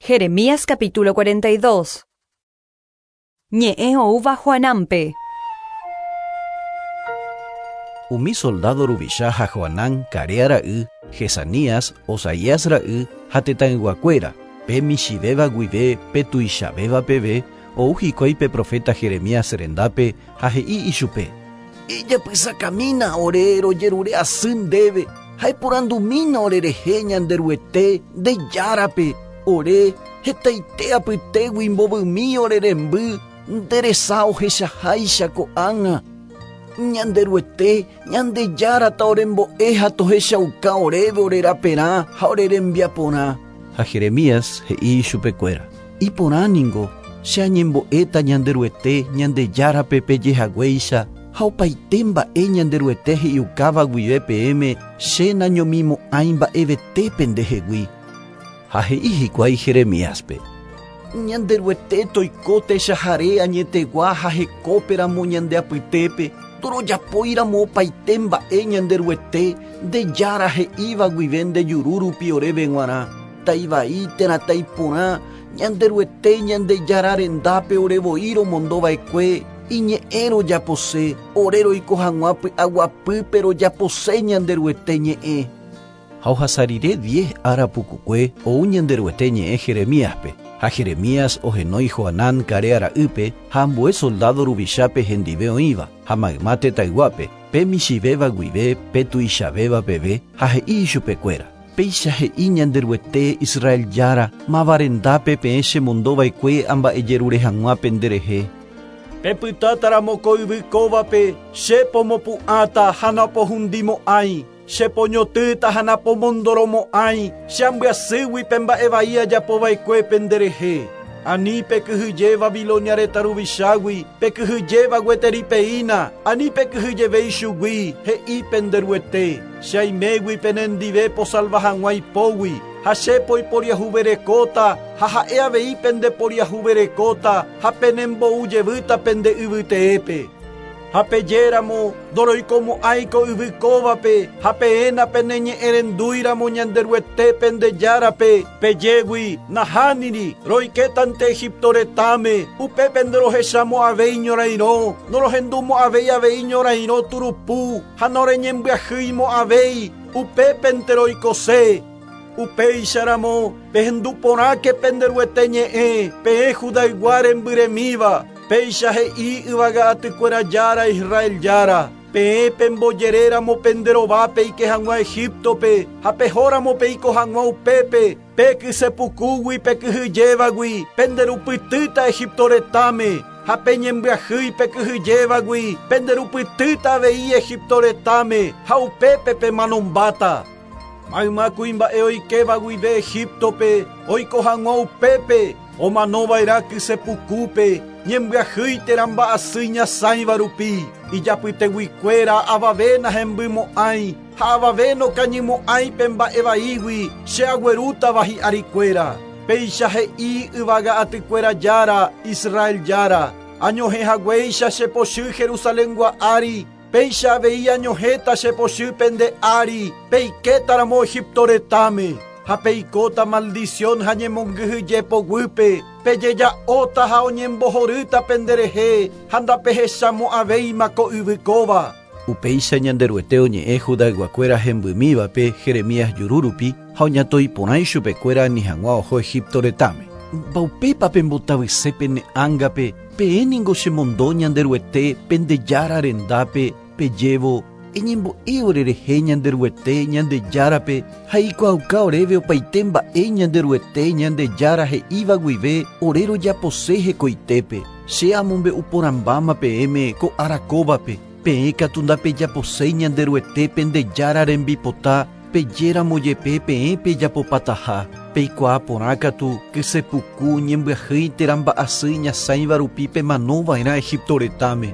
Jeremías capítulo 42. Ñe'ẽ oúva Joanánpe. Umi soldádo ruvicha ha Joanán, Carea ra'y, Jezanías, Osaías ra'y ha tetãyguakuéra, pe michĩvéva guive pe tuichavéva peve, ou hikuái pe proféta Jeremías rendápe ha he'i ichupe. Ejapysakamína ore rojerure asy ndéve ha eporandumína orerehe Ñanderuete, nde Járape, ore hetaite apytégui mbovymi ore remby nde resa ohechaháicha ko'ág̃a. Ñanderuete, Ñandejára taorembo'e ha tohechauka oréve ore raperã ha ore rembiaporã. Ha Jeremías he'i ichupekuéra, Iporã ningo, che añembo'éta Ñanderuete, Ñandejárape peje haguéicha, ha opaite mba'e Ñanderuete he'iukáva guive peẽme che nañomimo'ãi mba'evete pendehegui. Ha he'i hikuái Jeremíaspe, Ñanderuete toiko techahare añetegua ha hekópe ramo ñande apytépe, ndorojapói ramo opaite mba'e Ñanderuete, nde Jára he'íva guive nde juru rupi oréve g̃uarã, taivai térã taiporã, Ñanderuete Ñandejára rendápe ore voi romondo va'ekue, iñe'ẽ rojapose, ore roiko hag̃ua py'aguapýpe rojapose Ñanderuete ñe'ẽ. Ha ohasa rire diez ára pukukue ou Ñanderuete ñe'ẽ Jeremíaspe, ha Jeremías ohenói Joanán Carea ra'ýpe ha ambue soldádo ruvichápe hendive oĩva, ha mayma tetãyguápe, pe michĩvéva guive pe tuichavéva peve, ha he'i ichupekuéra, Péicha he'i Ñanderuete, Israel Jára, máva rendápe peẽ chemondova'ekue amba'ejerure hag̃ua penderehe. Pepytátaramo ko yvy kóvape, che pomopu'ãta ha napohundimo'ãi, che poñotỹta ha napomondoromo'ãi, che ambyasýgui pe mba'e vai ajapova'ekue penderehe. Ani pekyhyje Babilonia retã ruvichágui, pekyhyjéva gueteri peína, ani pekyhyjeve ichugui, he'i pende Ruete, Che aimégui penendive posalva hag̃ua ipógui, ha che poiporiahuverekóta, ha ha'e avei pendeporiahuverekóta ha penembou jevýta pende yvy teépe. Ha pejéramo, Ndoroikomo'ãi ko yvy kóvape, ha peẽ napeneñe'ẽrendúiramo Ñanderuete pende Járape, pejégui, Nahániri, roikétante Egipto retãme, upépe ndorohechamo'ãvéi ñorairõ, norohendumo'ãvéi avei ñorairõ turupu, ha noreñembyahýimo'ãvéi, upépente roikose. Upéicharamo, pehendu porãke pende Ruete ñe'ẽ, peẽ Judaygua rembyremíva, péicha he'i yvága atykuéra Jára, Israel Jára, Peẽ pembojeréramo pende rova peike hag̃ua Egíptope ha pehóramo peiko hag̃ua upépe, pe kyse pukúgui pekyhyjévagui penderupytýta Egipto retãme, ha peñembyahýi pekyhyjévagui penderupytýta avei Egipto retãme ha upépe pemanombáta. Mayma kuimba'e oikéva guive Egíptope oiko hag̃ua upépe, omano va'erã kyse pukúpe, ñembyahýi térã mba'asy iñasãiva rupi. Ijapyteguikuéra avave nahembymo'ãi ha avave nokañymo'ãi pe mba'e vaígui che aguerútava hi'arikuéra. Péicha he'i yvága atykuéra Jára, Israel Jára, Añohẽ haguéicha che pochy Jerusalengua ári, Péicha avei añohẽta che pochy pende ári peikétaramo Egipto retãme, ha peikóta maldicion ha ñemongyhyje poguýpe, pejeja'óta ha oñembohorýta penderehe ha ndapehechamo'ãvéima ko yvy kóva. Upéicha Ñanderuete oñe'ẽ Judayguakuéra hembymívape Jeremías juru rupi ha oñatoi porã ichupekuéra ani hag̃ua oho Egipto retãme. Mbaupépa pembotavyse pene ángape Peẽ ningo chemondo Ñanderuete pende Jára rendápe, pejévo, Eñembo'e orerehe Ñanderuete, Ñandejárape, ha eikuaauka oréve opaite mba'e Ñanderuete, Ñandejára he'íva guive ore rojapose hekoitépe. Che amombe'u porãmbáma peẽme ko ára kóvape, peẽ katu ndapejaposéi Ñanderuete pende Jára rembipota, Pejéramo jepe peẽ pejapopataha, peikuaa porã katu kyse puku, ñembyahýi térã mba'asy iñasãiva rupi pemano va'erã Egipto retãme.